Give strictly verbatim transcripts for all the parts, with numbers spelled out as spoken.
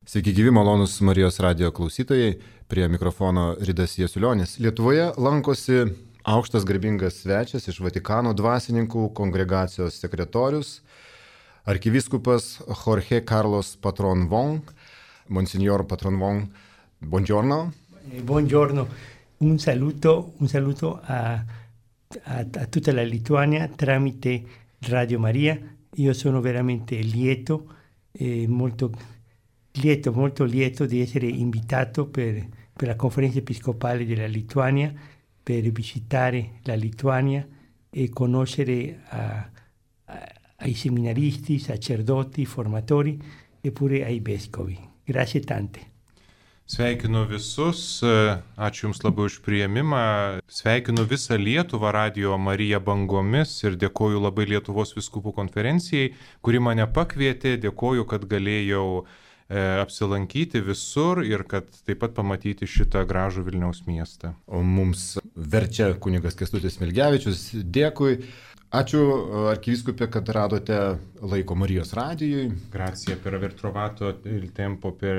Sveiki gyvi, malonus Marijos radijo klausytojai, prie mikrofono Ridas Jasiulionis. Lietuvoje lankosi aukštas garbingas svečias iš Vatikano dvasininkų kongregacijos sekretorius, arkivyskupas Jorge Carlos Patron Wong. Monsignor Patron Wong, buongiorno. Buongiorno, un saluto, un saluto a, a, a tutta la Lituania tramite Radio Maria. Io sono veramente lieto, eh, molto lieto, molto lieto di essere invitato per, per la conferenza episcopale della Lituania, per visitare la Lituania e conoscere a, a, ai seminaristi, sacerdoti, formatori e pure ai vescovi. Grazie tante. Sveikinu visus, ačiū Jums labai už priėmimą, sveikinu visą Lietuvą Radio Marija bangomis ir dėkoju labai Lietuvos vyskupų konferencijai, kuri mane pakvietė, dėkoju, kad galėjau e, apsilankyti visur ir kad taip pat pamatyti šitą gražų Vilniaus miestą. O mums verčia kunigas Kęstutis Smilgevičius, dėkui. Ačiū arkivyskupė, kad radote laiko Marijos radijui. Grazie per aver trovato il tempo per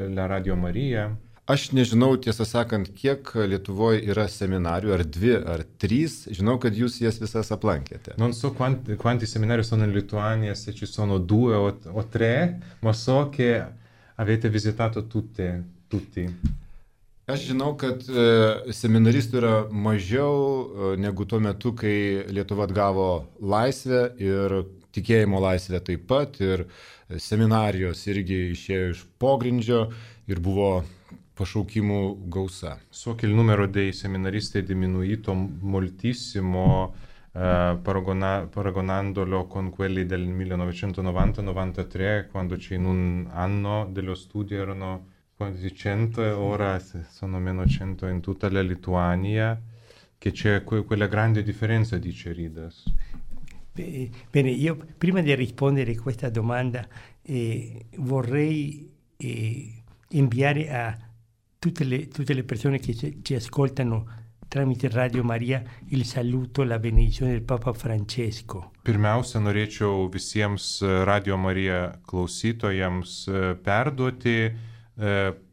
la Radio Maria. Aš nežinau, tiesą sakant, kiek Lietuvoje yra seminarijų, ar dvi, ar trys. Žinau, kad jūs jas visas aplankėte. Non so quanti, quanti seminari sono in Lituania, se ci sono due o, o tre, ma so che avete visitato tutte, tutti. Aš žinau, kad e, seminaristų yra mažiau e, negu tuo metu, kai Lietuva atgavo laisvę ir tikėjimo laisvę taip pat, ir seminarijos irgi išėjo iš pogrindžio ir buvo pašaukimų gausa. So che il numero dei seminaristi è diminuito moltissimo eh, paragona, paragonandolo con quelli del millenovecentonovanta novantatré, quando c'è in un anno dello studio erano quasi cento, ora sono meno cento in tutta la Lituania, che c'è que- quella grande differenza, dice Ridas. Bene, io prima di rispondere a questa domanda eh, vorrei eh, inviare a tutte le, tutte le persone che ci, ci ascoltano tramite Radio Maria il saluto, la benedizione del Papa Francesco. Pirmiausia, norėčiau visiems Radio Marija klausytojams perduoti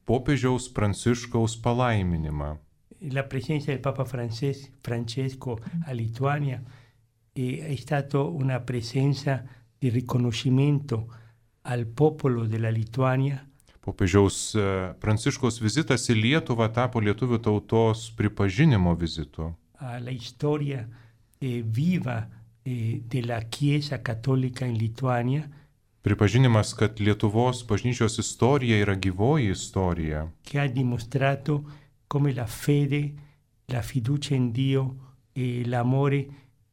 popiežiaus Pranciškaus palaiminimą. La presenza del Papa Frances- Francesco a Lituania è, è stata una presenza di riconoscimento al popolo della Lituania. Popiežiaus Pranciškaus vizitas į Lietuvą tapo lietuvių tautos pripažinimo vizitu. Alla storia eh, viva eh, della Chiesa cattolica in Lituania. Pripažinimas, kad Lietuvos bažnyčios istorija yra gyvoji istorija. Che ha dimostrato come la fede, la fiducia in Dio e l'amore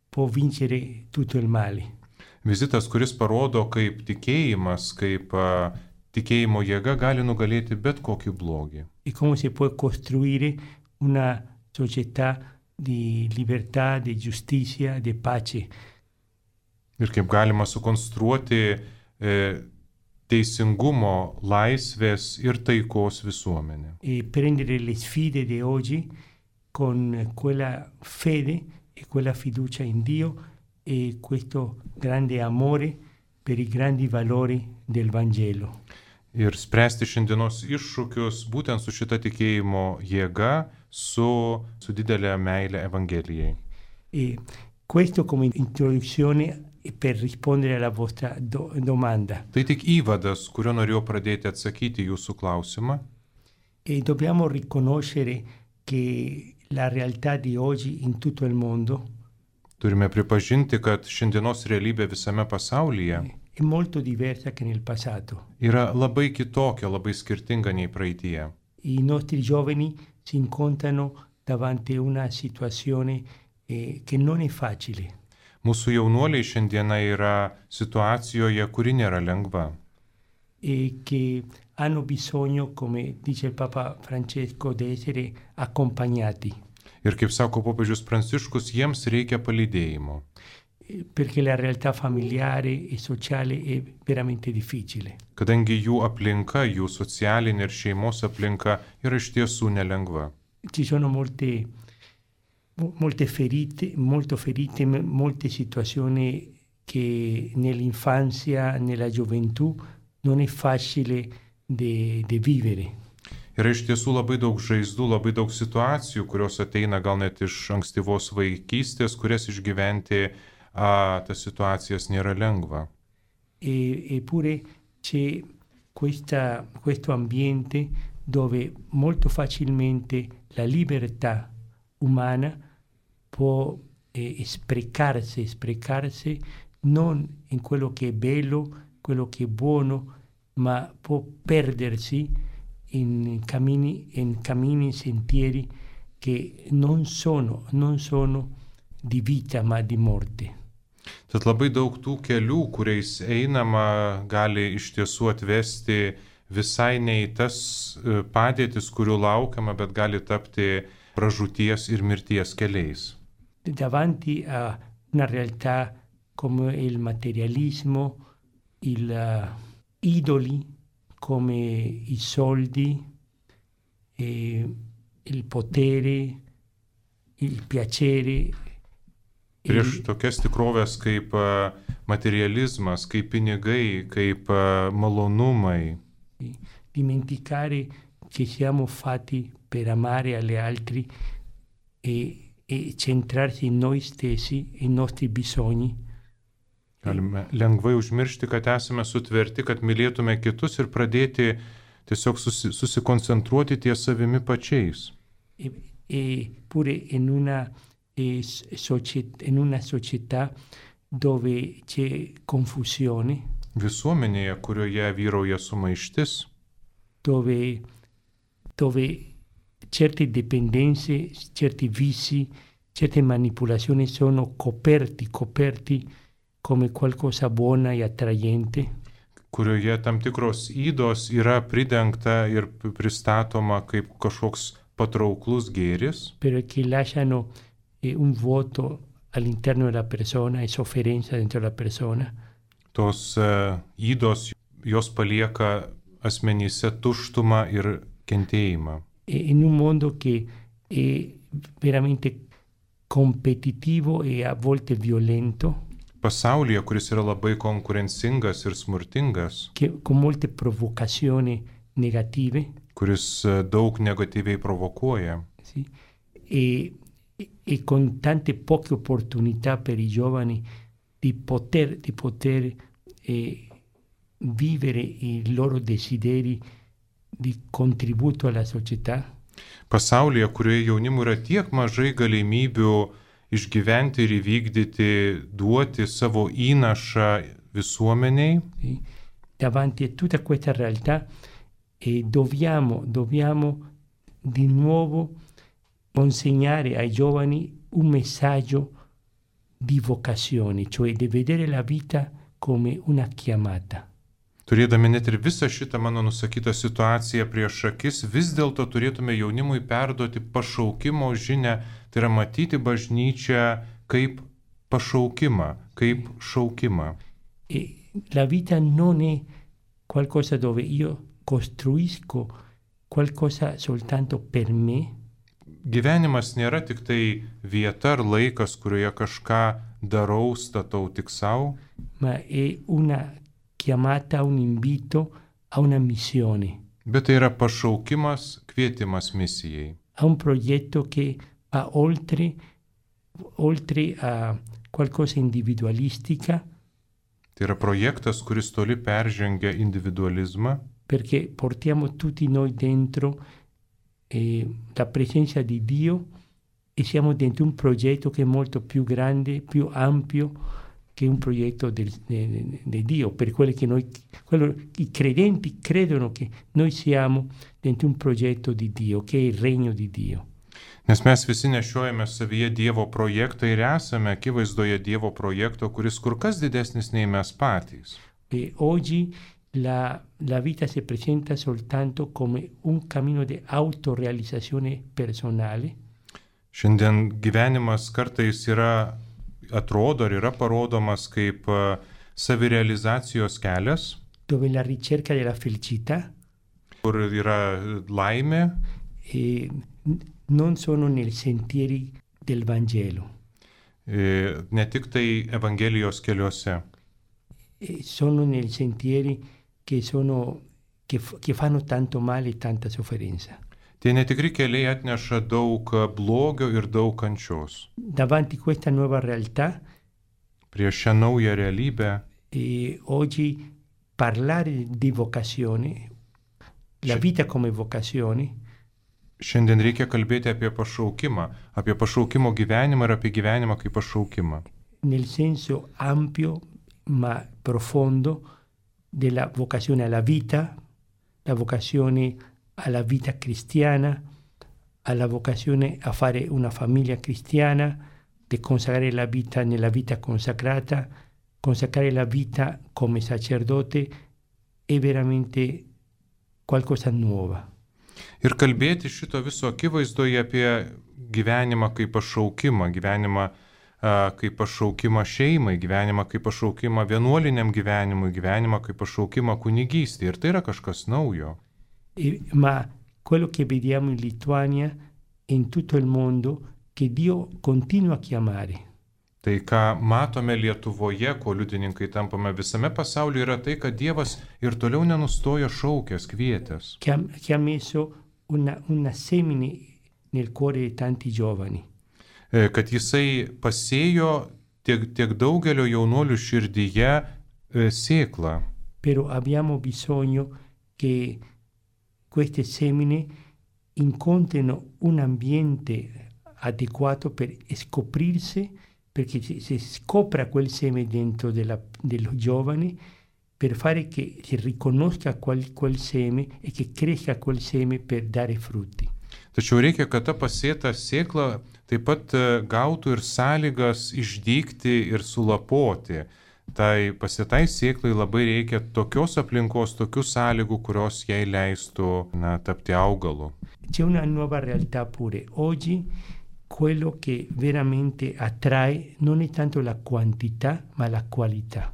può vincere tutto il male. Vizitas, kuris parodo, kaip tikėjimas, kaip uh, tikėjimo jėga gali nugalėti bet kokį blogį. E come si può costruire una società di libertà, di giustizia, di pace. Ir kaip galima sukonstruoti teisingumo, laisvės ir taikos visuomenė. E prendere le sfide di oggi con quella fede e quella fiducia in Dio e questo grande amore per i grandi valori del Vangelo. Ir spręsti šiandienos iššūkius būtent su šita tikėjimo jėga, su, su didelė meilė Evangelijai. E questo come introduzione per rispondere alla vostra do- domanda. Tai tik įvadas, kurio norėjau pradėti atsakyti jūsų klausimą. E dobbiamo riconoscere che la realtà di oggi in tutto il mondo Turime pripažinti, kad šiandienos realybė visame pasaulyje è molto diversa che nel passato. yra labai kitokia, labai skirtinga nei praeitie. I nostri giovani si incontrano davanti a una situazione eh, che non è facile. Mūsų jaunuoliai šiandieną yra situacijoje, kuri nėra lengva. E che hanno bisogno, come dice il Papa Francesco, di essere accompagnati. Ir kaip sako popiežius Pranciškus, jiems reikia palydėjimo. Perché la realtà familiare e sociale è veramente difficile. Kadangi jų aplinka, jų socialinė ir šeimos aplinka yra iš tiesų nelengva. Ci sono molte molte ferite, molto ferite, molte situazioni che nell'infanzia, nella gioventù non è facile de, de vivere. Yra iš tiesų labai daug žaizdų, labai daug situacijų, kurios ateina gal net iš ankstyvos vaikystės, kurias išgyventi a, tas situacijas nėra lengva. E, eppure c'è questa, questo ambiente dove molto facilmente la libertà umana può eh, sprecarsi, sprecarsi non in quello che è bello, quello che è buono, ma può perdersi in cammini, in cammini, sentieri che non sono, non sono di vita ma di morte. Tad labai daug tų kelių, kuriais einama, gali iš tiesų atvesti visai ne į tas padėtis, kurių laukiama, bet gali tapti pražūties ir mirties keliais. Davanti a una realtà come il materialismo, il uh, idoli, come i soldi, eh, il potere, il piacere. Prieš tokias tikrovės kaip materializmas, kaip pinigai, kaip malonumai. Dimenticare che siamo fatti per amare agli altri e, e centrarsi in noi stessi, i nostri bisogni. Galime lengvai užmiršti, kad esame sutverti, kad mylėtume kitus ir pradėti tiesiog susi, susikoncentruoti ties savimi pačiais. E, e pure in una, e, società, in una società dove c'è confusione. Visuomenėje, kurioje vyrauja sumaištis. Dove, dove certe dipendenze, certi vizi, certe manipolazioni sono coperti, coperti come qualcosa buona e attrayente. Kurioje tam tikros ydos yra pridengta ir pristatoma kaip kažkoks patrauklus gėris. Però che lasciano eh, un vuoto all'interno della persona e sofferenza dentro la persona. Tos uh, ydos, jos palieka asmenyse tuštumą ir kentėjimą. E in un mondo che è veramente competitivo e a volte violento. Pasaulyje, kuris yra labai konkurencingas ir smurtingas, che, con molte provocazioni negative, kuris daug negatyviai provokuoja, sì, e, e con tante poche opportunità per i giovani di poter, di poter eh, vivere i loro desideri di contributo alla società. Pasaulyje, kurioje jaunimui yra tiek mažai galimybių išgyventi ir įvykdyti, duoti savo įnašą visuomeniai. Sì. Davanti a tutta questa realtà eh, dobbiamo, dobbiamo di nuovo consegnare ai giovani un messaggio di vocazione, cioè di vedere la vita come una chiamata. Turėdami net ir visą šitą mano nusakytą situaciją prieš akis, vis dėlto turėtume jaunimui perduoti pašaukimo žinią, tai yra matyti bažnyčią kaip pašaukimą, kaip šaukimą. E la vita non è qualcosa dove io costruisco qualcosa soltanto per me. Gyvenimas nėra tik tai vieta ar laikas, kurioje kažką darau, statau tik savo. Ma è una chiamata, un invito a una missione. Bet tai yra pašaukimas, kvietimas misijai. A un progetto che va oltre, oltre a qualcosa individualistica. Tai yra projektas, kuris toli peržengia individualizmą. Perché portiamo tutti noi dentro eh, la presenza di Dio e siamo dentro un progetto che è molto più grande, più ampio che un progetto di Dio, per quelli che noi, quello, i credenti credono che noi siamo dentro un progetto di Dio, che è il regno di Dio. Nes mes visi nešiojame savyje Dievo projektą ir esame akivaizdoje Dievo projekto, kuris kur kas didesnis nei mes patys. E oggi la, la vita si presenta soltanto come un cammino di autorealizzazione personale. Šiandien gyvenimas kartais yra atrodo ir yra parodomas kaip savirealizacijos kelias, dove la ricerca della felicità, kur yra laimė, e non sono nei sentieri del Vangelo. E ne tik tai Evangelijos keliuose. E sono nei sentieri che sono che, che fanno tanto male e tanta sofferenza. Tie netikri keliai atneša daug blogio ir daug kančios. Davanti a questa nuova realtà, Prieš šią naują realybę, e oggi parlare di vocazione, la Ši- vita come vocazione, šiandien reikia kalbėti apie pašaukimą, apie pašaukimo gyvenimą ir apie gyvenimą kaip pašaukimą. nel senso ampio ma profondo della vocazione alla vita, la vocazione alla vita cristiana, alla vocazione a fare una famiglia cristiana, di consacrare la vita nella vita consacrata, consacrare la vita come sacerdote è veramente qualcosa nuova. Ir kalbėti šito viso akivaizdoje apie gyvenimą kaip pašaukimą, gyvenimą a, kaip pašaukimą šeimai, gyvenimą kaip pašaukimą vienuoliniam gyvenimui, gyvenimą kaip pašaukimą kunigystė. Ir tai yra kažkas naujo. E, ma quello che vediamo in Lituania e in tutto il mondo che Dio continua a chiamare. Tai, ką matome Lietuvoje, ko liudininkai tampame visame pasaulyje, yra tai, kad Dievas ir toliau nenustoja šaukęs, kvietęs. Che ha, che ha messo una, una semine nel cuore di tanti giovani. E, Kad Jisai pasėjo tiek, tiek daugelio jaunuolių širdyje e, sėklą. Però abbiamo bisogno che queste semine incontrino un ambiente adeguato per scoprirsi, perché si, si scopra quel seme dentro della, dello giovane, per fare che si riconosca quel, quel seme e che cresca quel seme per dare frutti. Tačiau reikia, kad ta pasėta sėkla taip pat e, gautų ir sąlygas išdygti ir sulapoti. Tai pasėtai sėklai labai reikia tokios aplinkos, tokių sąlygų, kurios jai leistų na, tapti augalu. C'è una nuova realtà pure. Oggi quello che veramente attrae non è tanto la quantità, ma la qualità.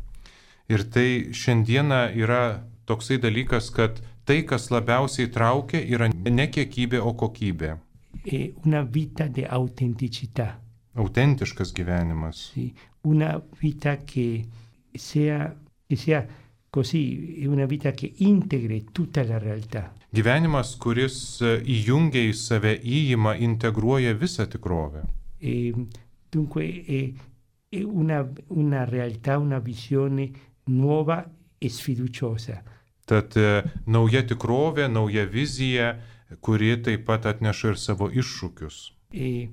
Ir tai šiandieną yra toksai dalykas, kad tai, kas labiausiai traukia, yra ne kiekybė, o kokybė. È una vita di autenticità, Autentiškas gyvenimas. sì? Una vita che sia, che sia così, è una vita che integri tutta la realtà. Gyvenimas, kuris e, įjungia į save, įima, integruoja visą tikrovę. E, dunque è, è una, una realtà, una visione nuova e sfiduciosa. Tad e, nauja tikrovė, nauja vizija, kuri taip pat atneša ir savo iššūkius. E,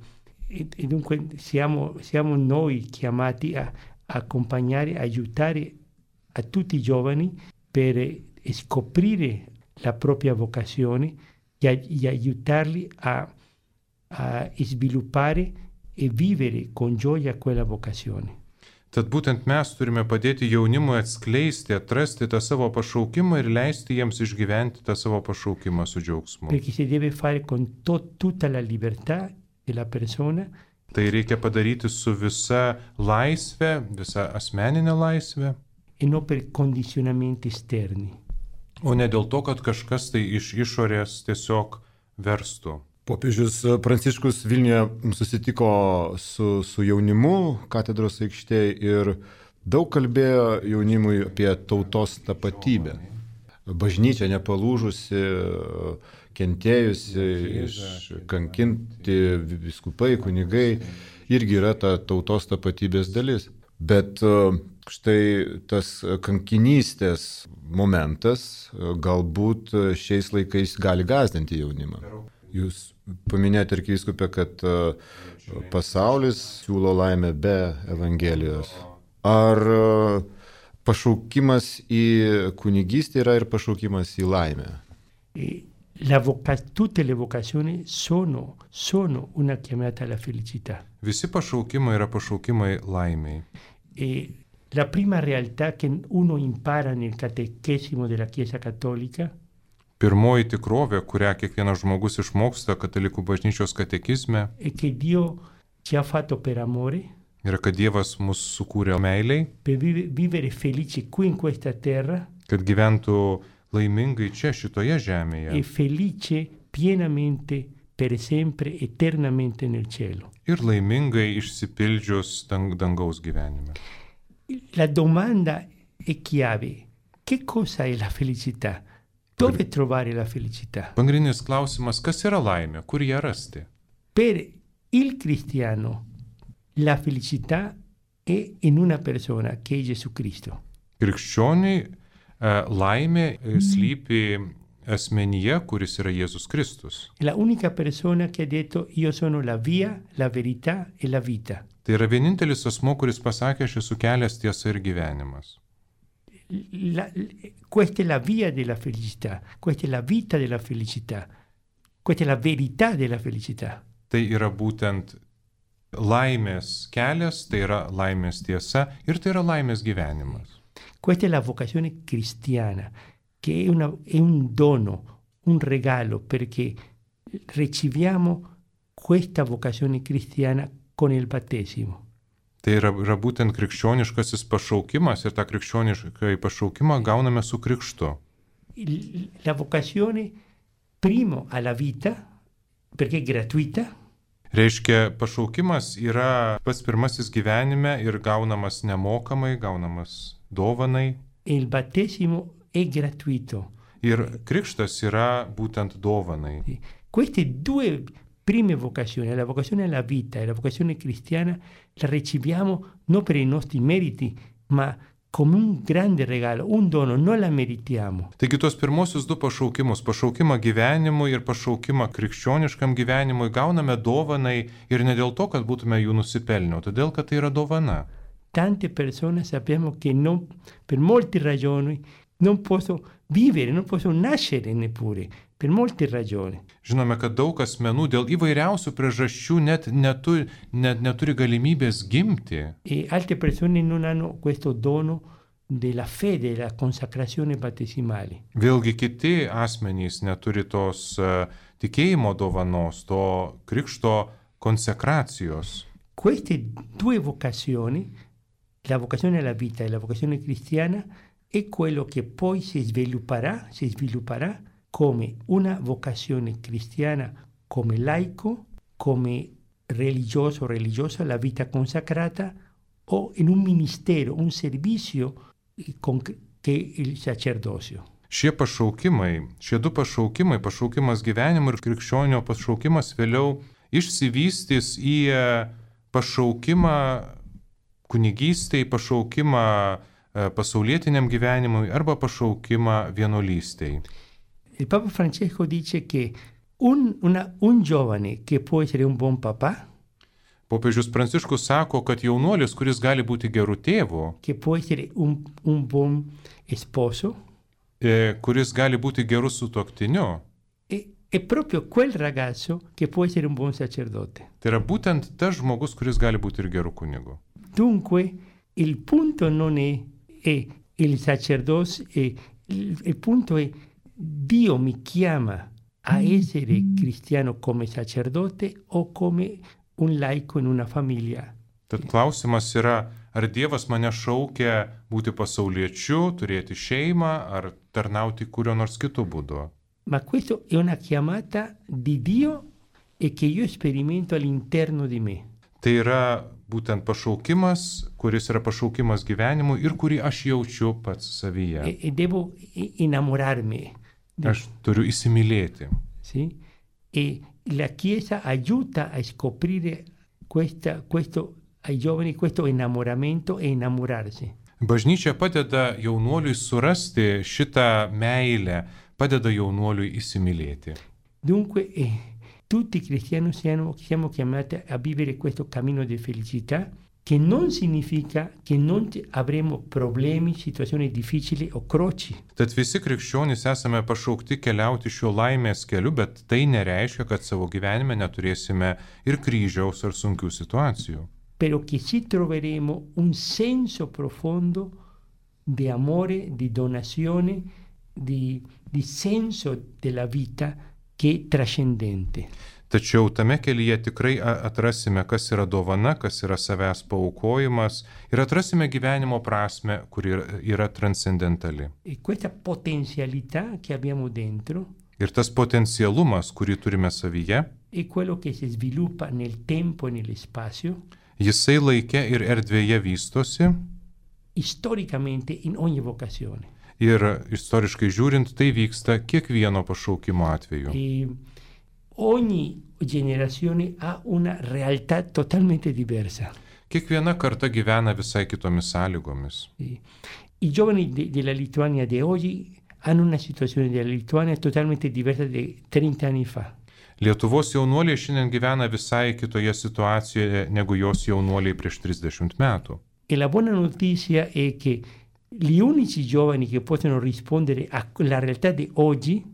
e, e dunque siamo, siamo noi chiamati a, a accompagnare, aiutare a tutti i giovani per scoprire la propria vocazione e, a, e aiutarli a, a sviluppare e vivere con gioia quella vocazione. Tad būtent mes turime padėti jaunimui atskleisti, atrasti tą savo pašaukimą ir leisti jiems išgyventi tą savo pašaukimą su džiaugsmu. Perché si deve fare con to, tutta la libertà della persona Tai reikia padaryti su visa laisvė, visa asmeninė laisvė, e non per condizionamenti esterni. o ne dėl to, kad kažkas tai iš išorės tiesiog verstų. Popiežius Pranciškus Vilniuje susitiko su, su jaunimu katedros aikštėje ir daug kalbėjo jaunimui apie tautos tapatybę. Bažnyčia nepalūžusi, kentėjusi, kankinti vyskupai, kunigai, irgi yra ta tautos tapatybės dalis. Bet štai tas kankinystės momentas galbūt šiais laikais gali gąsdinti jaunimą. Jūs paminėjote, arkivyskupė, kad pasaulis siūlo laimę be Evangelijos. Ar pašaukimas į kunigystę yra ir pašaukimas į laimę? La voca- tutte le vocazioni sono, sono una chiamata alla felicità. Visi pašaukimai yra pašaukimai laimiai. E la prima realtà che uno impara nel catechesimo della Chiesa Cattolica Pirmoji tikrovė, kurią kiekvienas žmogus išmoksta katalikų bažnyčios katekizme, è che Dio ci ha fatto per amore, yra, kad Dievas mus sukūrė meiliai, per vive- vivere felici qui in questa terra kad gyventų laimingai čia, šitoje e žemėje felice pienamente per sempre, eternamente nel cielo. ir laimingai išsipildžius dang, dangaus gyvenime. La domanda è chiave. Che cosa è la felicità? Dove trovare la felicità? Pagrindinis klausimas, kas yra laimė, kur ją rasti? Per il cristiano la felicità è in una persona che è Gesù Cristo. Krikščioniai laimė slypi asmenyje, kuris yra Jėzus Kristus. È la unica persona che ha detto io sono la via, la verità e la vita. Tai yra vienintelis asmo, kuris pasakė, aš esu kelias, tiesa ir gyvenimas. La, questa è la via della felicità, questa è la vita della felicità, questa è la verità della felicità. Tai yra būtent laimės kelias, tai yra laimės tiesa ir tai yra laimės gyvenimas. Questa è la vocazione cristiana, che è, una, è un dono, un regalo, perché riceviamo questa vocazione cristiana con il battesimo. Tai yra, yra būtent krikščioniškasis pašaukimas ir tą krikščionišką pašaukimą gauname su krikštu. La vocazione primo alla vita, perché è gratuita. Reiškia, pašaukimas yra pats pirmasis gyvenime ir gaunamas nemokamai, gaunamas dovanai. Il battesimo è gratuito. Ir krikštas yra būtent dovanai. Queste due prime vocazioni, la vocazione alla vita e la vocazione cristiana, la riceviamo non per i nostri meriti, ma come un grande regalo, un dono, non la meritiamo. Taigi tuos pirmosius du pašaukimus, pašaukimą gyvenimui ir pašaukimą krikščioniškam gyvenimui gauname dovanai ir ne dėl to, kad būtume jų nusipelnę, todėl kad tai yra dovana. Tante persone sappiamo che non, per molte ragioni non posso vivere, non posso nascere neppure, per molte ragioni. Žinome, kad daug asmenų dėl įvairiausių priežasčių net neturi, net neturi galimybės gimti. E altre persone non hanno questo dono della fede, della consacrazione battesimale. Vėlgi kiti asmenys neturi tos uh, tikėjimo dovanos, to krikšto konsekracijos. Queste due vocazioni, la vocazione alla vita e la vocazione cristiana, è quello che poi si svilupperà, si svilupperà come una vocazione cristiana, come laico, come religioso o religiosa, la vita consacrata, o in un ministero, un servizio che è il sacerdozio. Šie pašaukimai, šie du pašaukimai, pašaukimas gyvenimui ir krikščionio pašaukimas vėliau išsivystys į pašaukimą kunigystei, pašaukimą pasaulietiniam gyvenimui arba pašaukimą vienuolystei. Il Papa Francesco dice che un, una, un giovane che può essere un buon papà, Popiežius Pranciškus sako, kad jaunuolis, kuris gali būti gerų tėvų, che può essere un, un buon sposo, e, kuris gali būti gerų sutuoktiniu, è, è proprio quel ragazzo che può essere un buon sacerdote. tai yra būtent tas žmogus, kuris gali būti ir gerų kunigų. Dunque, il punto non è, è il sacerdozio, è, il, il punto è Dio mi chiama a essere cristiano come sacerdote o come un laico in una famiglia. Tad klausimas yra, ar Dievas mane šaukia būti pasauliečiu, turėti šeimą, ar tarnauti kurio nors kitų būdu. Ma questo è una chiamata di Dio e che io sperimento all'interno di me. Tai yra būtent pašaukimas, kuris yra pašaukimas gyvenimui ir kurį aš jaučiu pats savyje. E, e devo innamorarmi. Aš turiu įsimylėti. Sì? E la Chiesa aiuta a scoprire questa, questo, ai giovani questo innamoramento e innamorarsi. Bažnyčia padeda jaunuoliui surasti šitą meilę, padeda jaunuoliui įsimylėti. Dunque, eh, tutti i cristiani siamo, siamo chiamati a vivere questo cammino di felicità, che non significa che non avremo problemi, situazioni difficili o croci. Tad visi krikščionys esame pašaukti keliauti šiuo laimės keliu, bet tai nereiškia, kad savo gyvenime neturėsime ir kryžiaus ar sunkių situacijų. Però che ci troveremo un senso profondo di amore, di donazione, di, di senso della vita che è trascendente. Tačiau tame kelyje tikrai atrasime, kas yra dovana, kas yra savęs paaukojimas ir atrasime gyvenimo prasme, kuri yra transcendentali. E questa potenzialità che abbiamo dentro ir tas potencialumas, kurį turime savyje, è quello che si sviluppa nel tempo e nello spazio, jisai laike ir erdvėje vystosi, storicamente in ogni vocazione. Ir istoriškai žiūrint, tai vyksta kiekvieno pašaukimo atveju. E ogni generazione ha una realtà totalmente diversa. Kiekviena karta gyvena visai kitomis sąlygomis. I giovani de, della Lituania di oggi hanno una situazione della Lituania totalmente diversa di trenta anni fa. Lietuvos jaunuoliai šiandien gyvena visai kitoje situacijoje negu jos jaunuoliai prieš trisdešimt metų. E la buona notizia è che gli unici giovani che possono rispondere alla realtà di oggi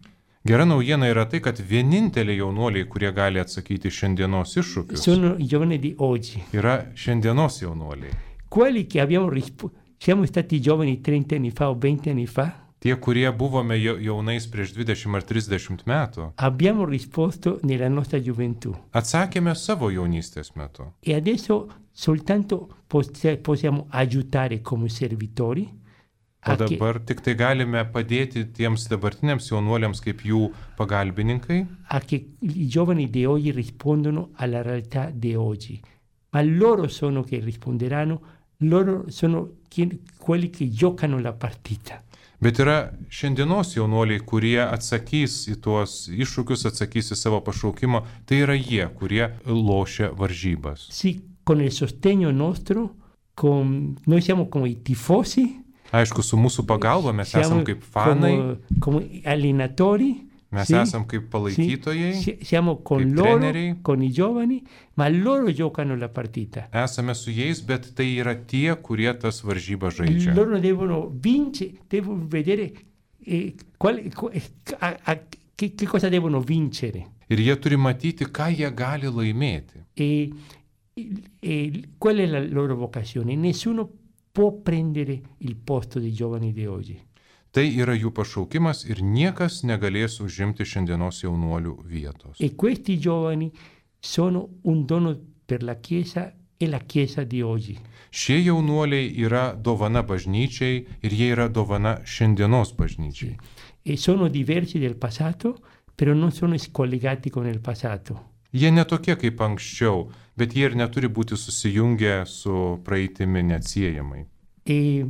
Gera naujiena yra tai, kad vieninteliai jaunuoliai, kurie gali atsakyti šiandienos iššūkius, sono i giovani di oggi. yra šiandienos jaunuoliai. Quelli che abbiamo risp- siamo stati giovani trenta anni fa o venti anni fa, Tie, kurie buvome jaunais prieš dvidešimt ar trisdešimt metų, abbiamo risposto nella nostra gioventù. atsakėme savo jaunystės metu. E adesso soltanto pos- possiamo aiutare come servitori O a che, dabar tik tai galime padėti tiems dabartiniams jaunuoliams kaip jų pagalbininkai, a che i giovani di oggi rispondono alla realtà di oggi. Ma loro sono che risponderanno, loro sono chi- quelli che giocano la partita. bet yra šiandienos jaunuoliai, kurie atsakys į tuos iššūkius, atsakys į savo pašaukimą, tai yra jie, kurie lošia varžybas. Sì, con il sostegno nostro, con, noi siamo come i tifosi, Aišku, su mūsų pagalba mes siamo esam kaip fanai, come, come allenatori, mes sì, esam kaip palaikytojai, sì, siamo con kaip loro, treneriai. con i giovani, ma loro giocano la partita. esame su jais, bet tai yra tie, kurie tas varžybas žaidžia. Loro devono vincere, devono vedere eh, qual, qu- a, a, che, che cosa devono vincere. Ir jie turi matyti, ką jie gali laimėti. E, e qual è la loro vocazione? Nessuno può prendere il posto dei giovani di oggi. Tai yra jų pašaukimas ir niekas negalės užimti šiandienos jaunuolių vietos. E questi giovani sono un dono per la Chiesa e la Chiesa di oggi. Šie jaunuoliai yra dovana bažnyčiai ir jie yra dovana šiandienos bažnyčiai. E sono diversi del passato, però non sono scollegati con il passato. Jie netokie kaip anksčiau, bet jie ir neturi būti susijungę su praeitimi neatsiejamai. E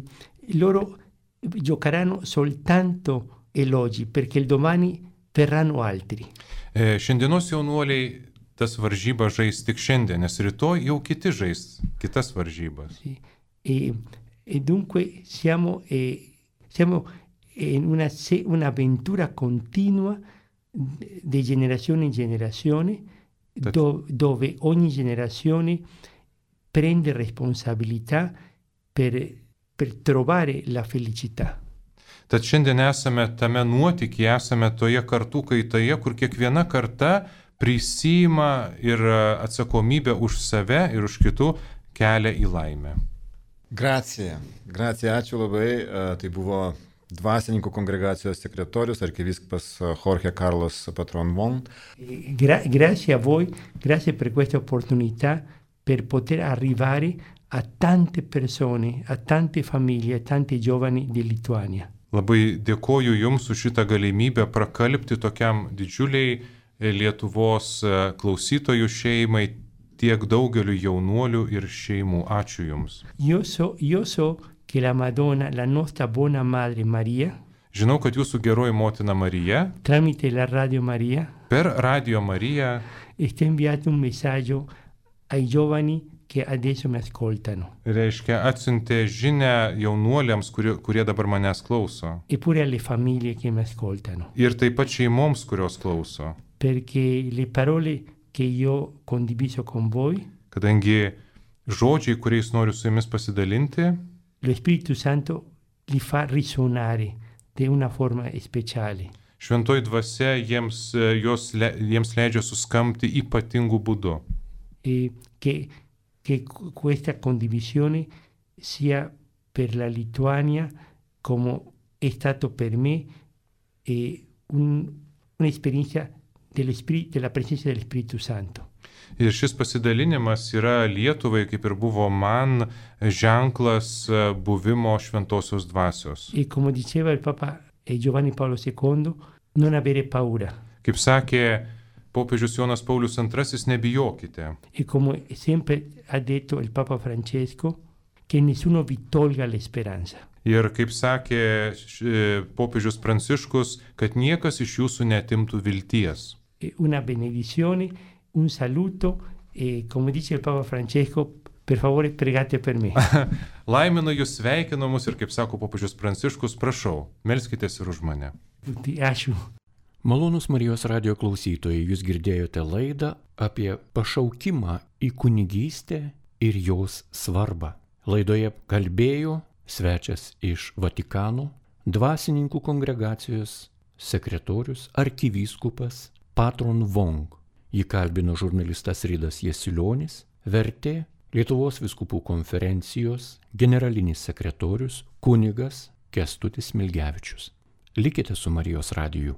loro giocheranno soltanto elogi, perché il domani verranno altri. E, šiandienos jaunuoliai tas varžybas žais tik šiandien, nes rytoj jau kiti žais kitas varžybas. Sì. E, e dunque siamo, eh, siamo in una, se- un'avventura continua di generazione in generazione, do- dove ogni generazione prende responsabilità per, per trovare la felicità. Tad šiandien esame tame nuotykyje, esame toje kartų kaitoje, kur kiekviena karta prisima ir atsakomybę už save ir už kitų kelią į laimę. Gracija. Gracija, ačiū labai. E, Tai buvo dvasininkų kongregacijos sekretorius, arkivyskupas Jorge Carlos Patron Von. Eh, gra- grazie a voi, grazie per questa opportunità per poter arrivare a tante persone, a tante famiglie, a tanti giovani di Lituania. Labai dėkoju Jums už šitą galimybę prakalbti tokiam didžiuliai Lietuvos klausytojų šeimai, tiek daugeliu jaunuolių ir šeimų. Ačiū Jums. Io so, io so che la Madonna, la nostra buona Madre Maria, Žinau, kad Jūsų geroji motina Marija tramite la Radio Maria, per Radio Mariją sta inviando un messaggio ai giovani che adesso mi ascoltano, reiškia atsiuntė žinę jaunuoliams, kurie, kurie dabar manęs klauso. eppure alle famiglie che mi ascoltano, Ir taip pat šeimoms, kurios klauso. perché le parole che io ho condiviso con voi, Kadangi žodžiai, kuriais noriu su Jumis pasidalinti, lo Spirito Santo li fa risuonare di una forma speciale. šventoji dvasia jiems, jos, le, jiems leidžia suskamti ypatingų būdų. E che, che questa condivisione sia per la Lituania come è stato per me e un, un'esperienza dello spiri- della presenza dello Spirito Santo. Ir šis pasidalinimas yra Lietuvai, kaip ir buvo man, ženklas buvimo šventosios dvasios. E come diceva il Papa Giovanni Paolo secondo, non avere paura. Kaip sakė popiežius Jonas Paulius antrasis, nebijokite. E come sempre ha detto il Papa Francesco, che nessuno vi tolga la speranza. Ir kaip sakė popiežius Pranciškus, kad niekas iš jūsų neatimtų vilties. Una benedizione, un saluto e come dice il Papa Francesco, per favore pregate per me. Laiminu jūs, sveikinu mus ir kaip sako popiežius Pranciškus, prašau, melskitės ir už mane. Ačiū. Malonūs Marijos radijo klausytojai, jūs girdėjote laidą apie pašaukimą į kunigystę ir jos svarbą. Laidoje kalbėjo svečias iš Vatikano, dvasininkų kongregacijos sekretorius, arkivyskupas Patron Vong. Jį kalbino žurnalistas Ridas Jasulionis, vertė Lietuvos vyskupų konferencijos generalinis sekretorius kunigas Kęstutis Smilgevičius. Likite su Marijos radiju.